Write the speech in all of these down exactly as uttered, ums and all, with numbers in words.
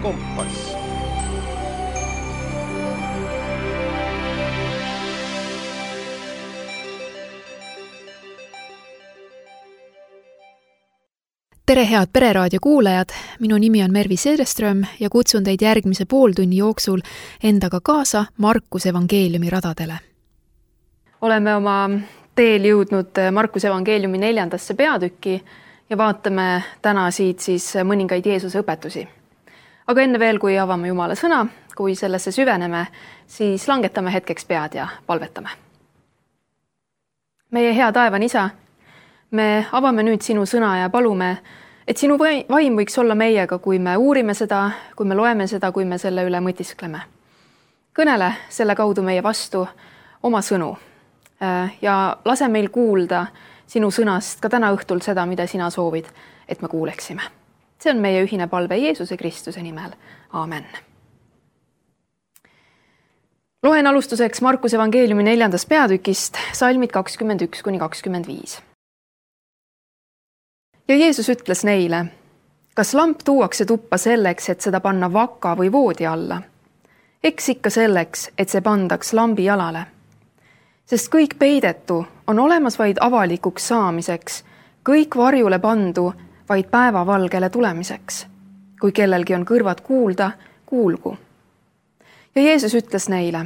Kompass. Tere head Pereraadio kuulajad, minu nimi on Mervi Sedeström ja kutsun teid järgmise pooltunni jooksul endaga kaasa Markuse evangeeliumi radadele. Oleme oma teel jõudnud Markuse evangeeliumi neljandasse peatükki ja vaatame täna siit siis mõningaid Jeesuse õpetusi. Aga enne veel, kui avame Jumala sõna, kui sellesse süveneme, siis langetame hetkeks pead ja palvetame. Meie hea taevan isa, me avame nüüd sinu sõna ja palume, et sinu vaim võiks olla meiega, kui me uurime seda, kui me loeme seda, kui me selle üle mõtiskleme. Kõnele selle kaudu meie vastu oma sõnu ja lase meil kuulda sinu sõnast ka täna õhtul seda, mida sina soovid, et me kuuleksime. See on meie ühine palve Jeesuse Kristuse nimel. Aamen. Loen alustuseks Markuse evangeeliumi neljandast peatükist salmid kakskümmend üks kuni kakskümmend viis. Ja Jeesus ütles neile, kas lamp tuuakse tuppa selleks, et seda panna vaka või voodi alla? Eks ikka selleks, et see pandaks lambi jalale. Sest kõik peidetu on olemas vaid avalikuks saamiseks, kõik varjule pandu vaid päevavalgele tulemiseks. Kui kellelgi on kõrvad kuulda, kuulgu. Ja Jeesus ütles neile,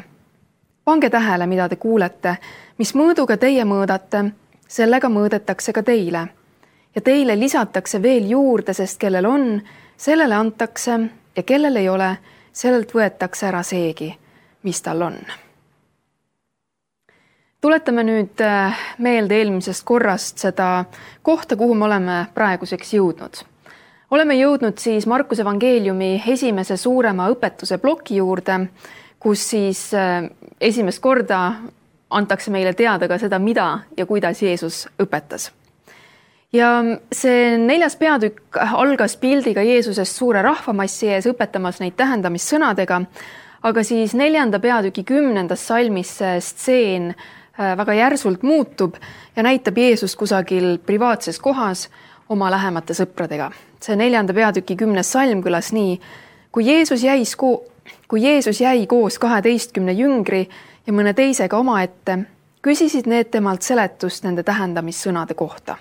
pange tähele, mida te kuulete, mis mõõduga teie mõõdate, sellega mõõdetakse ka teile. Ja teile lisatakse veel juurde, sest kellel on, sellele antakse ja kellel ei ole, sellelt võetakse ära seegi, mis tal on. Tuletame nüüd meelde eelmisest korrast seda kohta, kuhu me oleme praeguseks jõudnud. Oleme jõudnud siis Markuse evangeeliumi esimese suurema õpetuse ploki juurde, kus siis esimest korda antakse meile teada ka seda, mida ja kuidas Jeesus õpetas. Ja see neljas peatükk algas pildiga Jeesusest suure rahvamassi ees õpetamas neid tähendamissõnadega, aga siis neljanda peatüki kümnendas salmis see stseen väga järsult muutub ja näitab Jeesus kusagil privaatses kohas oma lähemate sõpradega. See neljanda peatüki kümnes salm kõlas nii, kui Jeesus jäi, ko- kui Jeesus jäi koos kaheteistkümne jüngri ja mõne teisega oma ette, küsisid need temalt seletust nende tähendamissõnade kohta.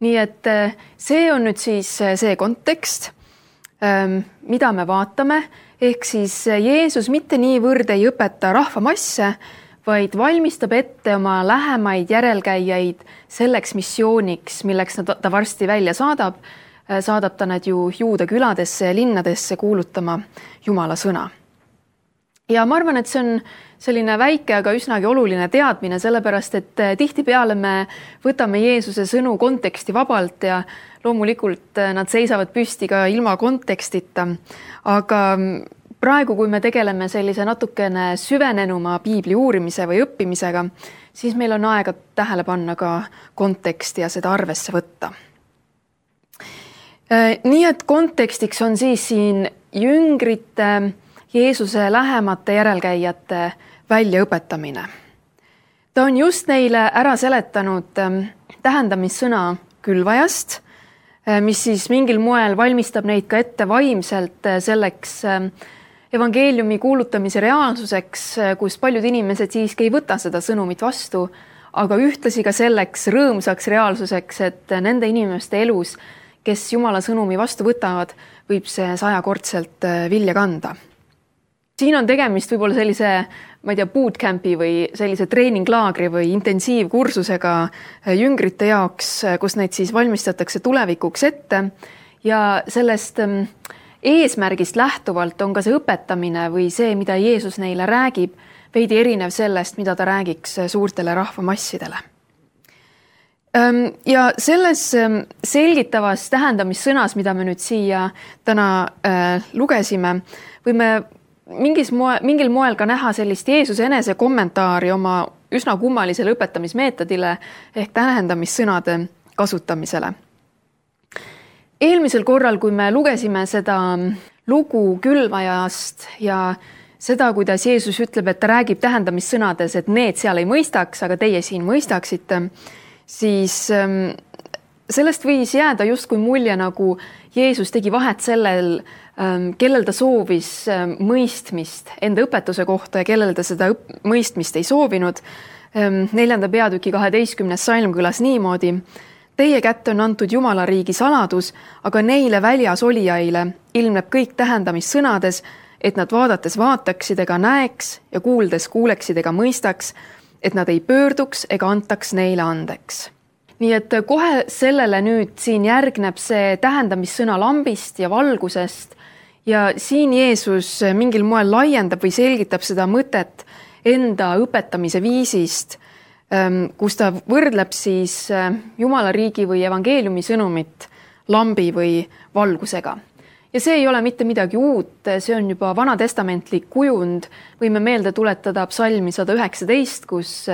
Nii et see on nüüd siis see kontekst, mida me vaatame, ehk siis Jeesus mitte niivõrd ei õpeta rahvamasse, vaid valmistab ette oma lähemaid järelkäijaid selleks missiooniks, milleks ta varsti välja saadab. Saadab ta nad ju Juuda küladesse ja linnadesse kuulutama Jumala sõna. Ja ma arvan, et see on selline väike, aga üsnagi oluline teadmine, sellepärast, et tihtipeale me võtame Jeesuse sõnu konteksti vabalt ja loomulikult nad seisavad püsti ka ilma kontekstita. Aga praegu, kui me tegeleme sellise natukene süvenenuma piibli uurimise või õppimisega, siis meil on aega tähele panna ka konteksti ja seda arvesse võtta. Nii et kontekstiks on siis siin jüngrite Jeesuse lähemate järelkäijate väljaõpetamine. Ta on just neile ära seletanud tähendamissõna külvajast, mis siis mingil moel valmistab neid ka ette vaimselt selleks evangeeliumi kuulutamise reaalsuseks, kus paljud inimesed siiski ei võta seda sõnumit vastu, aga ühtlasi ka selleks rõõmsaks reaalsuseks, et nende inimeste elus, kes Jumala sõnumi vastu võtavad, võib see sajakordselt vilja kanda. Siin on tegemist võib-olla sellise, ma ei tea, bootcampi või sellise treeninglaagri või intensiivkursusega jüngrite jaoks, kus neid siis valmistatakse tulevikuks ette ja sellest eesmärgist lähtuvalt on ka see õpetamine või see, mida Jeesus neile räägib, veidi erinev sellest, mida ta räägiks suurtele rahvamassidele. Ja selles selgitavas tähendamissõnas, mida me nüüd siia täna lugesime, võime Mingis moe, mingil moel ka näha sellist Jeesuse enese kommentaari oma üsna kummalisele õpetamismeetodile ehk tähendamissõnade kasutamisele. Eelmisel korral, kui me lugesime seda lugu külvajast ja seda, kuidas Jeesus ütleb, et ta räägib tähendamissõnades, et need seal ei mõistaks, aga teie siin mõistaksite, siis sellest võis jääda justkui mulje, nagu Jeesus tegi vahet sellel, kellel ta soovis mõistmist enda õpetuse kohta ja kellel ta seda mõistmist ei soovinud. Neljanda peatüki kaheteistkümnes salm kõlas niimoodi: Teie kätte on antud Jumala riigi saladus, aga neile väljas olijaile ilmneb kõik tähendamissõnades, et nad vaadates vaataksid ega näeks ja kuuldes kuuleksid ega mõistaks, et nad ei pöörduks ega antaks neile andeks. Nii et kohe sellele nüüd siin järgneb see tähendamissõna lambist ja valgusest ja siin Jeesus mingil moel laiendab või selgitab seda mõtet enda õpetamise viisist, kus ta võrdleb siis Jumala riigi või evangeeliumi sõnumit lambi või valgusega. Ja see ei ole mitte midagi uut, see on juba vanatestamentlik kujund. Võime meelde tuletada psalmi sada üheksateist, kus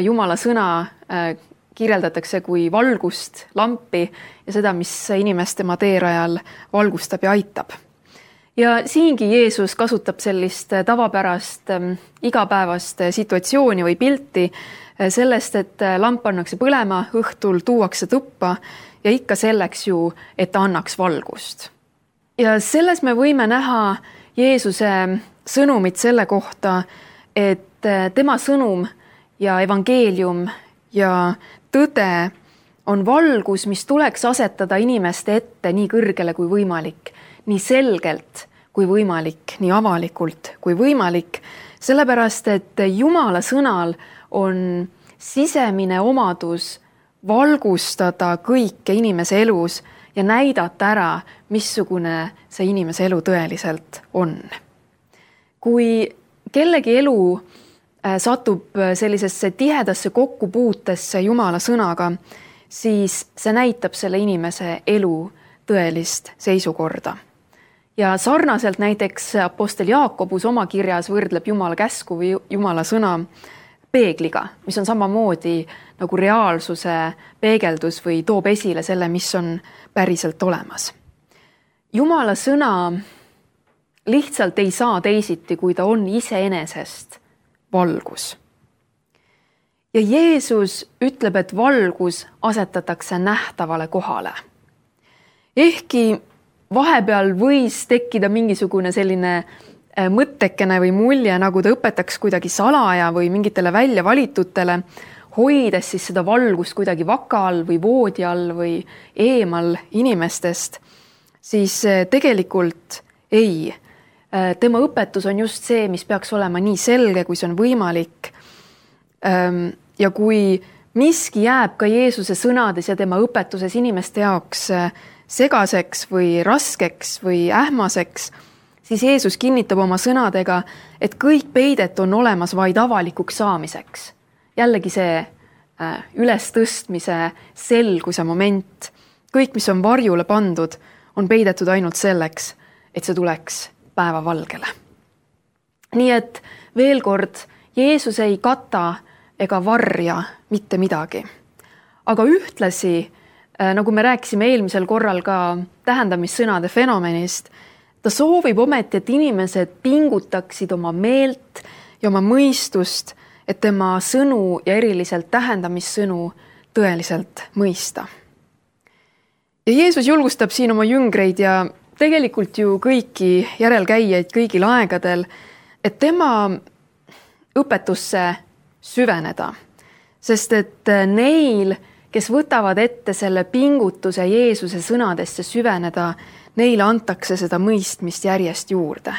Jumala sõna kirjeldatakse kui valgust, lampi ja seda, mis inimest tema teerajal valgustab ja aitab. Ja siingi Jeesus kasutab sellist tavapärast igapäevast situatsiooni või pilti sellest, et lamp pannakse põlema, õhtul tuuakse tuppa ja ikka selleks ju, et ta annaks valgust. Ja selles me võime näha Jeesuse sõnumit selle kohta, et tema sõnum ja evangeelium ja tõde on valgus, mis tuleks asetada inimeste ette nii kõrgele kui võimalik, nii selgelt kui võimalik, nii avalikult kui võimalik, sellepärast et Jumala sõnal on sisemine omadus valgustada kõike inimese elus ja näidata ära, missugune see inimese elu tõeliselt on. Kui kellegi elu satub sellisesse tihedasse kokkupuutesse Jumala sõnaga, siis see näitab selle inimese elu tõelist seisukorda. Ja sarnaselt näiteks apostel Jaakobus oma kirjas võrdleb Jumala käsku või Jumala sõna peegliga, mis on samamoodi nagu reaalsuse peegeldus või toob esile selle, mis on päriselt olemas. Jumala sõna lihtsalt ei saa teisiti, kui ta on iseenesest valgus. Ja Jeesus ütleb, et valgus asetatakse nähtavale kohale. Ehkki vahepeal võis tekkida mingisugune selline mõttekene või mulje, nagu ta õpetaks kuidagi salaja või mingitele välja valitutele, hoides siis seda valgust kuidagi vaka all või voodi all või eemal inimestest, siis tegelikult ei. Tema õpetus on just see, mis peaks olema nii selge, kui see on võimalik. Ja kui miski jääb ka Jeesuse sõnades ja tema õpetuses inimeste jaoks segaseks või raskeks või ähmaseks, siis Jeesus kinnitab oma sõnadega, et kõik peidet on olemas vaid avalikuks saamiseks. Jällegi see ülestõstmise selguse moment. Kõik, mis on varjule pandud, on peidetud ainult selleks, et see tuleks päevavalgele. Nii et veel kord, Jeesus ei kata ega varja mitte midagi. Aga ühtlasi, nagu me rääkisime eelmisel korral ka tähendamissõnade fenomenist, ta soovib ometi, et inimesed pingutaksid oma meelt ja oma mõistust, et tema sõnu ja eriliselt tähendamissõnu tõeliselt mõista. Ja Jeesus julgustab siin oma jüngreid ja tegelikult ju kõiki järelkäijaid kõigil aegadel, et tema õpetusse süveneda, sest et neil, kes võtavad ette selle pingutuse Jeesuse sõnadesse süveneda, neile antakse seda mõistmist järjest juurde.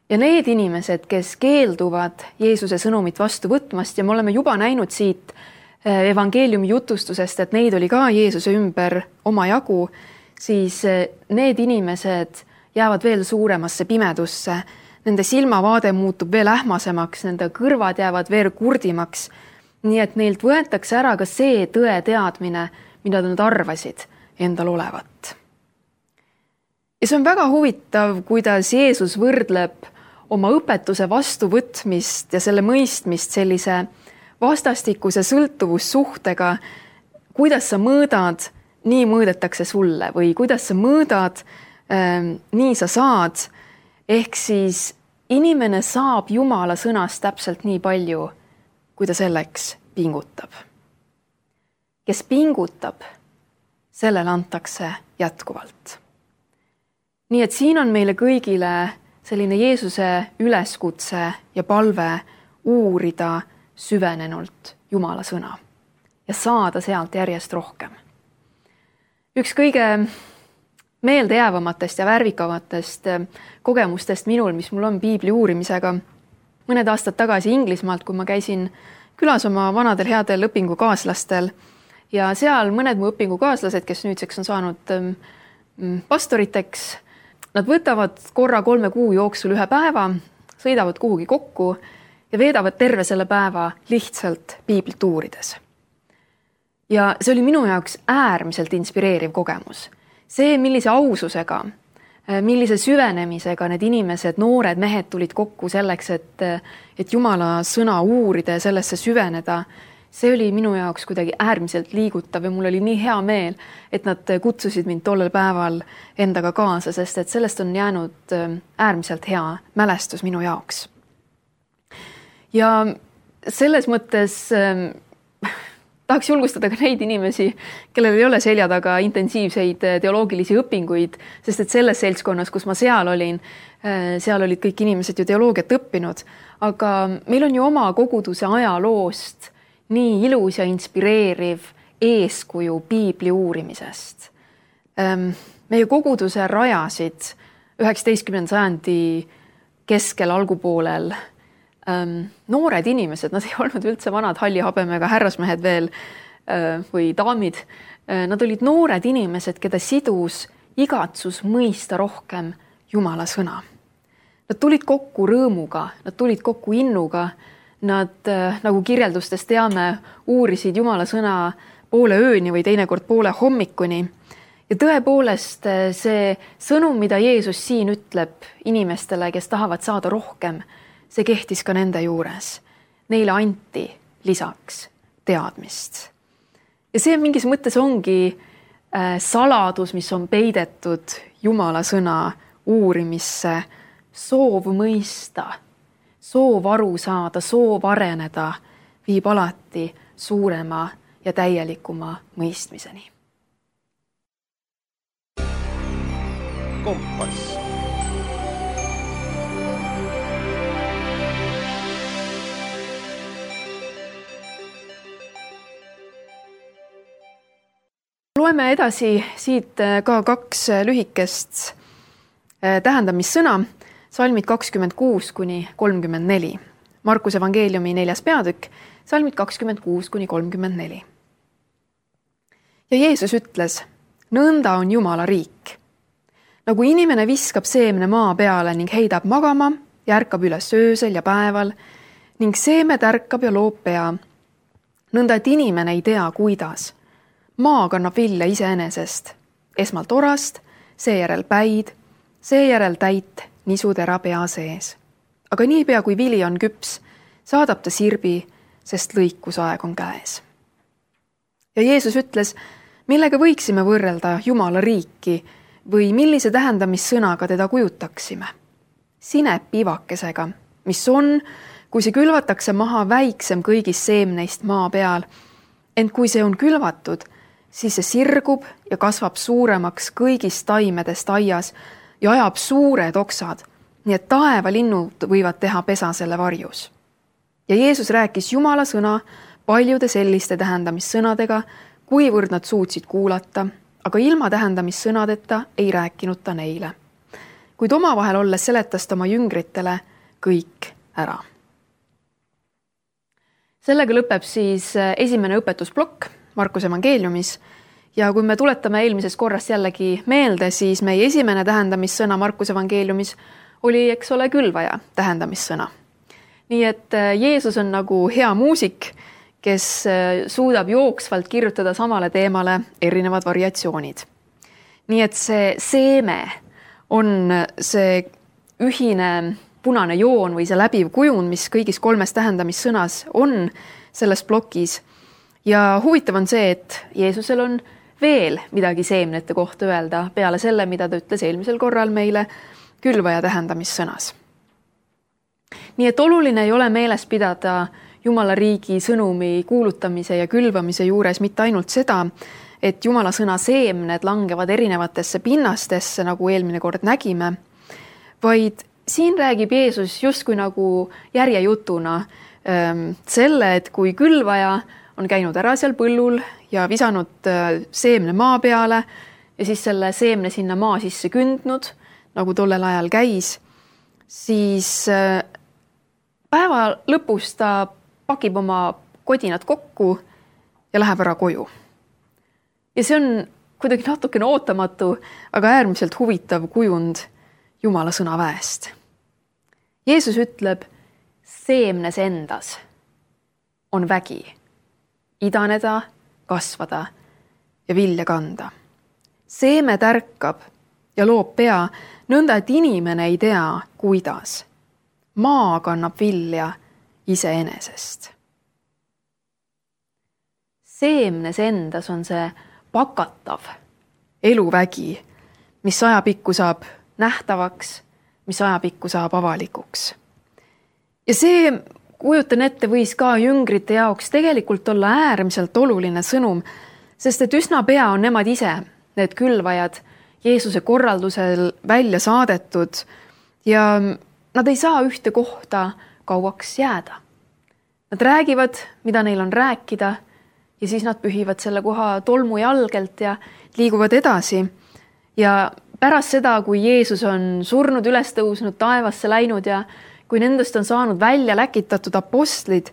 Ja need inimesed, kes keelduvad Jeesuse sõnumit vastu võtmast, ja me oleme juba näinud siit evangeeliumi jutustusest, et neid oli ka Jeesuse ümber oma jagu, siis need inimesed jäävad veel suuremasse pimedusse, nende silmavaade muutub veel ähmasemaks, nende kõrvad jäävad veel kurdimaks, nii et neilt võetakse ära ka see tõe teadmine, mida nad arvasid endal olevat. Ja see on väga huvitav, kuidas Jeesus võrdleb oma õpetuse vastuvõtmist ja selle mõistmist sellise vastastikuse sõltuvussuhtega, kuidas sa mõõdad, nii mõõdetakse sulle või kuidas sa mõõdad, nii sa saad. Ehk siis inimene saab Jumala sõnast täpselt nii palju, kui ta selleks pingutab. Kes pingutab, sellele antakse jätkuvalt. Nii et siin on meile kõigile selline Jeesuse üleskutse ja palve uurida süvenenult Jumala sõna ja saada sealt järjest rohkem. Üks kõige meeldejäävamatest ja värvikavatest kogemustest minul, mis mul on piibli uurimisega, mõned aastad tagasi Inglismaalt, kui ma käisin külas oma vanadel headel õpingukaaslastel ja seal mõned mu õpingukaaslased, kes nüüdseks on saanud pastoriteks, nad võtavad korra kolme kuu jooksul ühe päeva, sõidavad kuhugi kokku ja veedavad terve selle päeva lihtsalt piiblit uurides. Ja see oli minu jaoks äärmiselt inspireeriv kogemus. See, millise aususega, millise süvenemisega need inimesed, noored mehed tulid kokku selleks, et, et Jumala sõna uurida ja sellesse süveneda, see oli minu jaoks kuidagi äärmiselt liigutav ja mul oli nii hea meel, et nad kutsusid mind tollel päeval endaga kaasa, sest et sellest on jäänud äärmiselt hea mälestus minu jaoks. Ja selles mõttes tahaks julgustada ka neid inimesi, kellel ei ole selja taga intensiivseid teoloogilisi õpinguid, sest et selles seltskonnas, kus ma seal olin, seal olid kõik inimesed ju teoloogiat õppinud, aga meil on ju oma koguduse ajaloost nii ilus ja inspireeriv eeskuju piibli uurimisest. Meie koguduse rajasid üheksateistkümnenda sajandi keskel algupoolel noored inimesed, nad ei olnud üldse vanad hallihabemega härrasmehed veel või daamid. Nad olid noored inimesed, keda sidus igatsus mõista rohkem Jumala sõna. Nad tulid kokku rõõmuga, nad tulid kokku innuga, nad, nagu kirjeldustest teame, uurisid Jumala sõna poole ööni või teinekord poole hommikuni. Ja tõepoolest see sõnum, mida Jeesus siin ütleb inimestele, kes tahavad saada rohkem, see kehtis ka nende juures. Neile anti lisaks teadmist. Ja see mingis mõttes ongi saladus, mis on peidetud Jumala sõna uurimisse, soov mõista, soov aru saada, soov areneda, viib alati suurema ja täielikuma mõistmiseni. Kompass. Loeme edasi siit ka kaks lühikest tähendamissõna, salmid kakskümmend kuus kuni kolmkümmend neli. Markuse evangeeliumi neljas peatükk, salmid kakskümmend kuus kuni kolmkümmend neli. Ja Jeesus ütles, nõnda on Jumala riik. Nagu inimene viskab seemne maa peale ning heidab magama ja ärkab üles öösel ja päeval ning seeme tärkab ja loob pea. Nõnda, et inimene ei tea, kuidas. Maa kannab vilja iseenesest, esmalt orast, seejärel päid, seejärel täit nisutera pea sees. Aga niipea kui vili on küps, saadab ta sirbi, sest lõikusaeg on käes. Ja Jeesus ütles, millega võiksime võrrelda Jumala riiki või millise tähendamissõnaga teda kujutaksime. Sinepivakesega, mis on, kui see külvatakse maha väiksem kõigist seemneist maa peal, ent kui see on külvatud, siis see sirgub ja kasvab suuremaks kõigist taimedest aias ja ajab suured oksad, nii et taevalinnud võivad teha pesa selle varjus. Ja Jeesus rääkis Jumala sõna paljude selliste tähendamissõnadega, kuivõrd nad suutsid kuulata, aga ilma tähendamissõnadeta ei rääkinud ta neile. Kuid omavahel olles seletas ta oma jüngritele kõik ära. Sellega lõpeb siis esimene õpetusplokk Markuse evangeeliumis ja kui me tuletame eelmisest korrast jällegi meelde, siis meie esimene tähendamissõna Markuse evangeeliumis oli, eks ole, külvaja tähendamissõna. Nii et Jeesus on nagu hea muusik, kes suudab jooksvalt kirjutada samale teemale erinevad variatsioonid. Nii et see seeme on see ühine punane joon või see läbiv kujund, mis kõigis kolmes tähendamissõnas on selles plokis. Ja huvitav on see, et Jeesusel on veel midagi seemnete kohta öelda peale selle, mida ta ütles eelmisel korral meile külvaja tähendamissõnas. Nii et oluline ei ole meeles pidada Jumala riigi sõnumi kuulutamise ja külvamise juures mitte ainult seda, et Jumala sõna seemned langevad erinevatesse pinnastesse, nagu eelmine kord nägime, vaid siin räägib Jeesus justkui nagu järjejutuna selle, et kui külvaja on käinud ära seal põllul ja visanud seemne maa peale ja siis selle seemne sinna maa sisse kündnud, nagu tollel ajal käis, siis päeva lõpus ta pakib oma kodinad kokku ja läheb ära koju. Ja see on kuidagi natukene ootamatu, aga äärmiselt huvitav kujund Jumala sõnaväest. Jeesus ütleb, seemnes endas on vägi, idaneda, kasvada ja vilja kanda. Seeme tärkab ja loob pea, nõnda et inimene ei tea, kuidas. Maa kannab vilja iseenesest. Seemnes endas on see pakatav eluvägi, mis ajapikku saab nähtavaks, mis ajapikku saab avalikuks. Ja see, kujutan ette, võis ka jüngrite jaoks tegelikult olla äärmiselt oluline sõnum, sest et üsna pea on nemad ise, need külvajad, Jeesuse korraldusel välja saadetud ja nad ei saa ühte kohta kauaks jääda. Nad räägivad, mida neil on rääkida ja siis nad pühivad selle koha tolmu jalgelt ja liiguvad edasi. Ja pärast seda, kui Jeesus on surnud, üles tõusnud, taevasse läinud ja kui nendest on saanud välja läkitatud apostlid,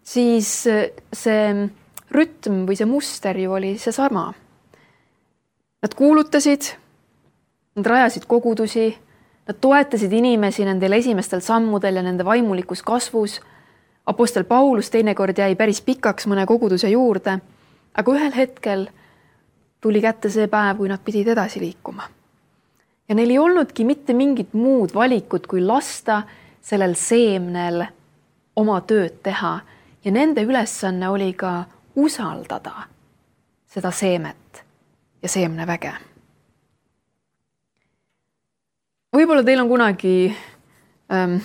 siis see rütm või see muster ju oli see sama. Nad kuulutasid, nad rajasid kogudusi, nad toetasid inimesi nendel esimestel sammudel ja nende vaimulikus kasvus. Apostel Paulus teinekord jäi päris pikaks mõne koguduse juurde, aga ühel hetkel tuli kätte see päev, kui nad pidid edasi liikuma. Ja neil ei olnudki mitte mingit muud valikut, kui lasta sellel seemnel oma tööd teha ja nende ülesanne oli ka usaldada seda seemet ja seemneväge. Võib-olla teil on kunagi ähm,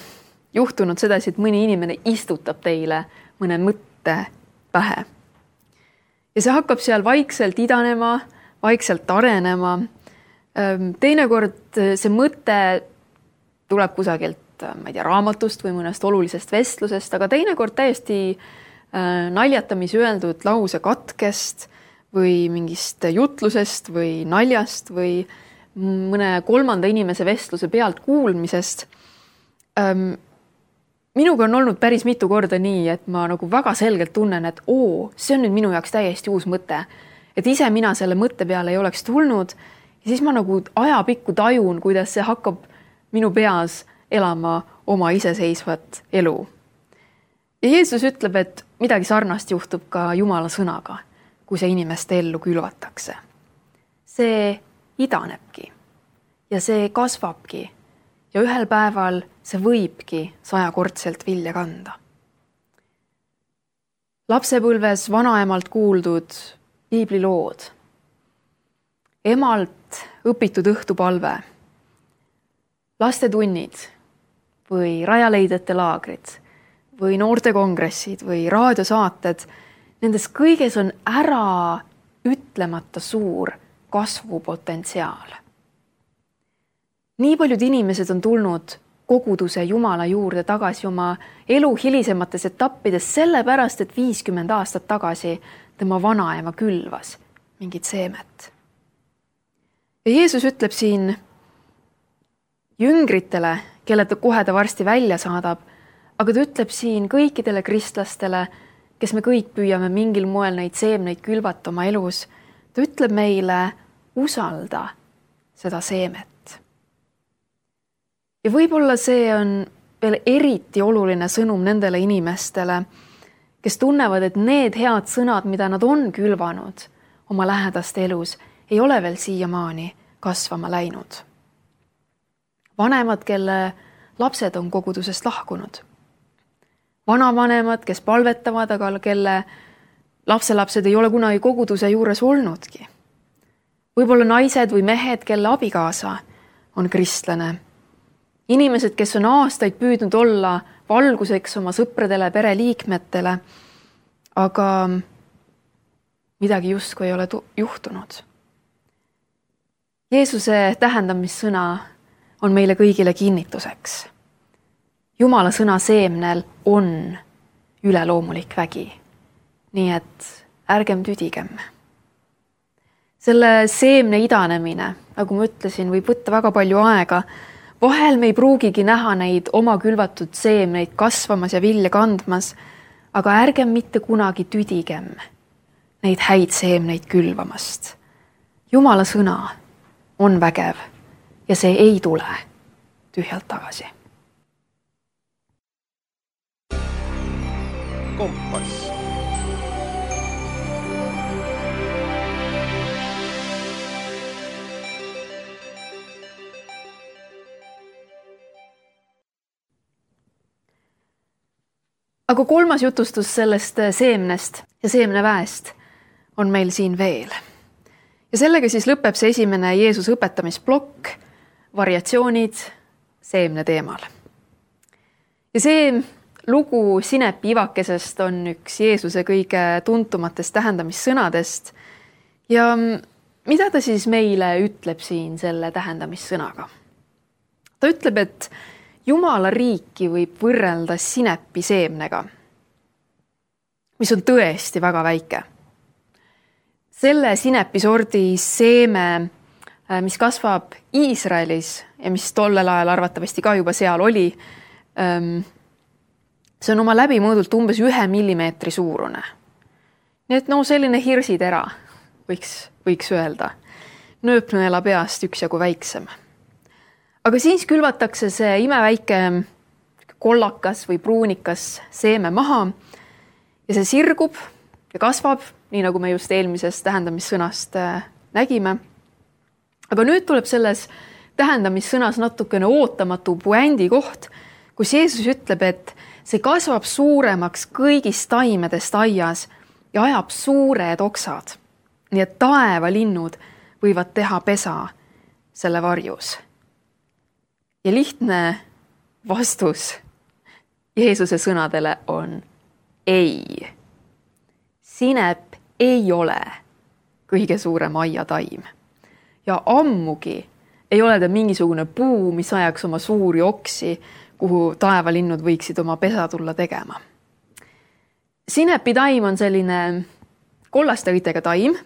juhtunud sedasi, et mõni inimene istutab teile mõne mõtte pähe. Ja see hakkab seal vaikselt idanema, vaikselt arenema. Ähm, teinekord see mõte tuleb kusagilt, ma ei tea, raamatust või mõnest olulisest vestlusest, aga teinekord täiesti äh, naljatamise öeldud lause katkest või mingist jutlusest või naljast või mõne kolmanda inimese vestluse pealt kuulmisest. Ähm, minuga on olnud päris mitu korda nii, et ma nagu väga selgelt tunnen, et oo, see on nüüd minu jaoks täiesti uus mõte. Et ise mina selle mõtte peale ei oleks tulnud ja siis ma nagu ajapikku tajun, kuidas see hakkab minu peas elama oma iseseisvat elu. Ja Jeesus ütleb, et midagi sarnast juhtub ka Jumala sõnaga, kui see inimeste ellu külvatakse. See idanebki ja see kasvabki ja ühel päeval see võibki sajakordselt vilja kanda. Lapsepõlves vanaemalt kuuldud piiblilood, emalt õpitud õhtupalve, lastetunnid või rajaleidjate laagrid või noortekongressid või raadiosaated, nendes kõiges on ära ütlemata suur kasvupotentsiaal. Nii paljud inimesed on tulnud koguduse Jumala juurde tagasi oma elu hilisemates etappides sellepärast, et viiskümmend aastat tagasi tema vanaema külvas mingit seemet. Ja Jeesus ütleb siin jüngritele, kelle ta kohe ta varsti välja saadab, aga ta ütleb siin kõikidele kristlastele, kes me kõik püüame mingil moel neid seemneid külvata oma elus, ta ütleb meile, usalda seda seemet. Ja võib-olla see on veel eriti oluline sõnum nendele inimestele, kes tunnevad, et need head sõnad, mida nad on külvanud oma lähedaste elus, ei ole veel siiamaani kasvama läinud. Vanemad, kelle lapsed on kogudusest lahkunud. Vanavanemad, kes palvetavad, aga kelle lapselapsed ei ole kunagi koguduse juures olnudki. Võib-olla naised või mehed, kelle abikaasa on kristlane. Inimesed, kes on aastaid püüdnud olla valguseks oma sõpradele, pereliikmetele, aga midagi justkui ei ole tu- juhtunud. Jeesuse tähendamissõna on meile kõigile kinnituseks. Jumala sõna seemnel on üleloomulik vägi, nii et ärgem tüdigem. Selle seemne idanemine, nagu ma ütlesin, võib võtta väga palju aega. Vahel me ei pruugigi näha neid oma külvatud seemneid kasvamas ja vilja kandmas, aga ärgem mitte kunagi tüdigem neid häid seemneid külvamast. Jumala sõna on vägev ja see ei tule tühjalt tagasi. Kompass. Aga kolmas jutustus sellest seemnest ja seemneväest on meil siin veel. Ja sellega siis lõpeb see esimene Jeesuse õpetamisplokk, variatsioonid seemne teemal. Ja see lugu sinepi ivakesest on üks Jeesuse kõige tuntumatest tähendamissõnadest. Ja mida ta siis meile ütleb siin selle tähendamissõnaga? Ta ütleb, et Jumala riiki võib võrrelda sinepi seemnega, mis on tõesti väga väike. Selle sinepisordi seeme, mis kasvab Iisraelis ja mis tollel ajal arvatavasti ka juba seal oli, see on oma läbimõõdult umbes ühe millimeetri suurune. Nii et no selline hirsitera, võiks, võiks öelda. Nööpnõela peast üksjagu väiksem. Aga siis külvatakse see imeväike kollakas või pruunikas seeme maha ja see sirgub ja kasvab, nii nagu me just eelmisest tähendamissõnast nägime. Aga nüüd tuleb selles tähendamissõnas natukene ootamatu puändi koht, kus Jeesus ütleb, et see kasvab suuremaks kõigist taimedest aias ja ajab suured oksad. Nii et taevalinnud võivad teha pesa selle varjus. Ja lihtne vastus Jeesuse sõnadele on ei. Sinep ei ole kõige suurem aiataim. Ja ammugi ei ole ta mingisugune puu, mis ajaks oma suuri oksi, kuhu taevalinnud võiksid oma pesa tulla tegema. Sinepi taim on selline kollaste õitega taim.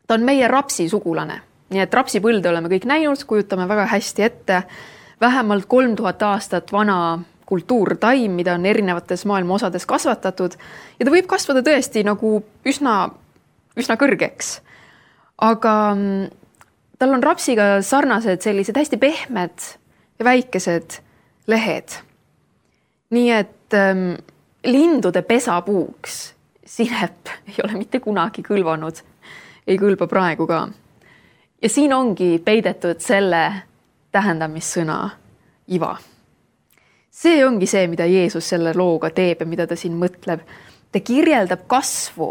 Ta on meie rapsi sugulane. Nii et rapsipõlde oleme kõik näinud, kujutame väga hästi ette. Vähemalt kolm tuhat aastat vana kultuurtaim, mida on erinevates maailma osades kasvatatud. Ja ta võib kasvada tõesti nagu üsna, üsna kõrgeks. Aga tal on rapsiga sarnased sellised hästi pehmed ja väikesed lehed. Nii et ähm, lindude pesapuuks sinep ei ole mitte kunagi kõlvanud. Ei kõlba praegu ka. Ja siin ongi peidetud selle tähendamissõna iva. See ongi see, mida Jeesus selle looga teeb ja mida ta siin mõtleb. Ta kirjeldab kasvu,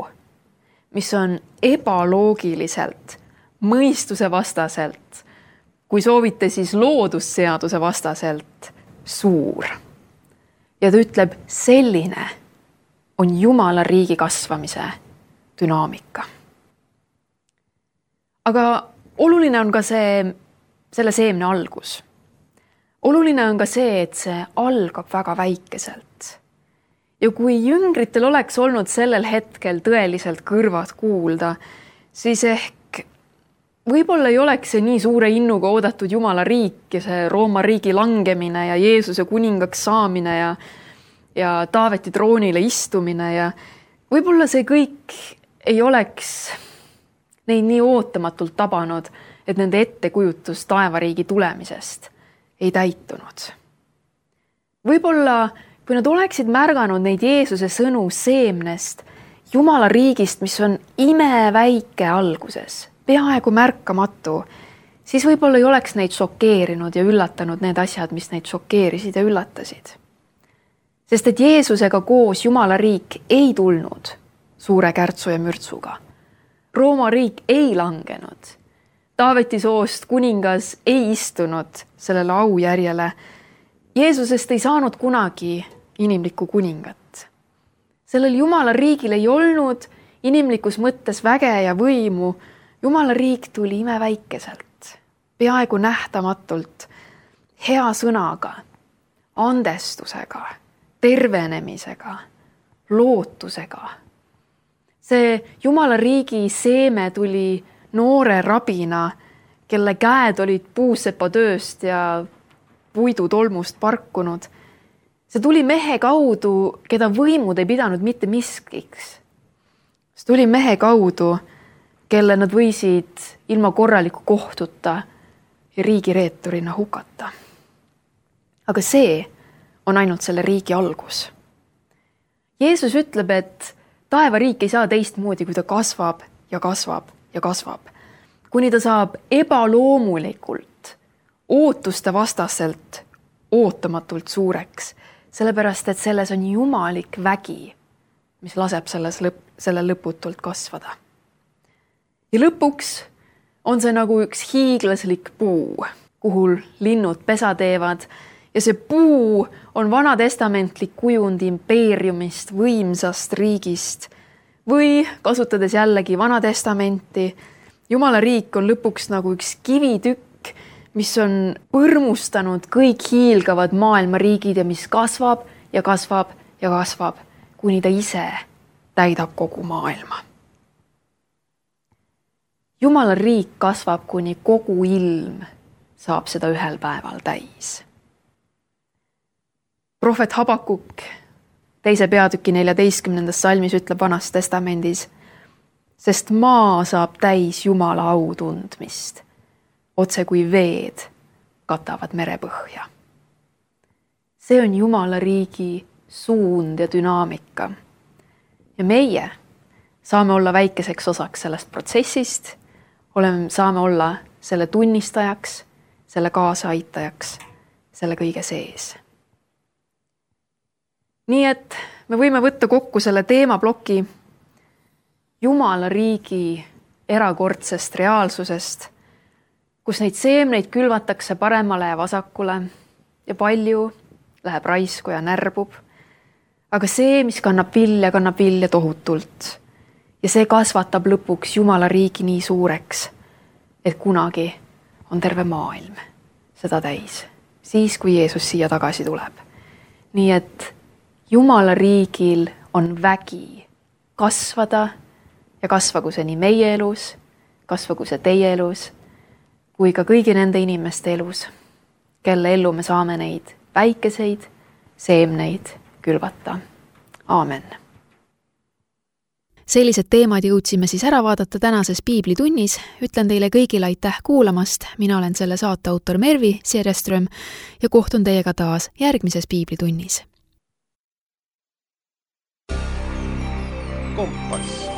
mis on ebaloogiliselt, mõistuse vastaselt, kui soovite siis loodusseaduse vastaselt suur. Ja ta ütleb, selline on Jumala riigi kasvamise dünaamika. Aga oluline on ka see, selle seemne algus. Oluline on ka see, et see algab väga väikeselt. Ja kui jüngritel oleks olnud sellel hetkel tõeliselt kõrvad kuulda, siis ehk võib-olla ei oleks see nii suure innuga oodatud Jumala riik ja see Rooma riigi langemine ja Jeesuse kuningaks saamine ja, ja Taaveti troonile istumine ja võib-olla see kõik ei oleks neid nii ootamatult tabanud, et nende ettekujutus taevariigi tulemisest ei täitunud. Võib-olla, kui nad oleksid märganud neid Jeesuse sõnu seemnest, Jumala riigist, mis on imeväike alguses, peaaegu märkamatu, siis võib-olla ei oleks neid šokeerinud ja üllatanud need asjad, mis neid šokeerisid ja üllatasid. Sest et Jeesusega koos Jumala riik ei tulnud suure kärtsu ja mürtsuga. Rooma riik ei langenud. Taaveti soost kuningas ei istunud sellele aujärjele. Jeesusest ei saanud kunagi inimlikku kuningat. Sellel Jumala riigil ei olnud inimlikus mõttes väge ja võimu, Jumala riik tuli imeväikeselt, peaaegu nähtamatult, hea sõnaga, andestusega, tervenemisega, lootusega. See Jumala riigi seeme tuli noore rabina, kelle käed olid puusepatööst ja puidutolmust parkunud. See tuli mehe kaudu, keda võimud ei pidanud mitte miskiks. See tuli mehe kaudu, kelle nad võisid ilma korraliku kohtuta ja riigireeturina hukata. Aga see on ainult selle riigi algus. Jeesus ütleb, et taevariik ei saa teistmoodi, kui ta kasvab ja kasvab ja kasvab. Kuni ta saab ebaloomulikult, ootuste vastaselt, ootamatult suureks, sellepärast, et selles on jumalik vägi, mis laseb selles lõp, selle lõputult kasvada. Ja lõpuks on see nagu üks hiiglaslik puu, kuhu linnud pesa teevad, ja see puu on vanatestamentlik kujund impeeriumist, võimsast riigist, või kasutades jällegi vanatestamenti, Jumala riik on lõpuks nagu üks kivitükk, mis on põrmustanud kõik hiilgavad maailma riigid ja mis kasvab ja kasvab ja kasvab, kuni ta ise täidab kogu maailma. Jumala riik kasvab, kuni kogu ilm saab seda ühel päeval täis. Prohvet Habakuk teise peatüki neljateistkümnendas salmis ütleb Vanas testamendis, sest maa saab täis Jumala au tundmist, otse kui veed katavad merepõhja. See on Jumala riigi suund ja dünaamika. Ja meie saame olla väikeseks osaks sellest protsessist, oleme, saame olla selle tunnistajaks, selle kaasaaitajaks, selle kõige sees. Nii et me võime võtta kokku selle teemaploki Jumala riigi erakordsest reaalsusest, kus neid seemneid külvatakse paremale ja vasakule ja palju läheb raisku ja närbub. Aga see, mis kannab vilja, kannab vilja tohutult. Ja see kasvatab lõpuks Jumala riigi nii suureks, et kunagi on terve maailm seda täis, siis kui Jeesus siia tagasi tuleb. Nii et Jumala riigil on vägi kasvada ja kasvagu see nii meie elus, kasvagu see teie elus, kui ka kõigi nende inimeste elus, kelle ellu me saame neid väikeseid seemneid külvata. Aamen. Sellised teemad jõudsime siis ära vaadata tänases piiblitunnis. Ütlen teile kõigile aitäh kuulamast. Mina olen selle saate autor Mervi Siereström ja kohtun teiega taas järgmises piiblitunnis. Kompass.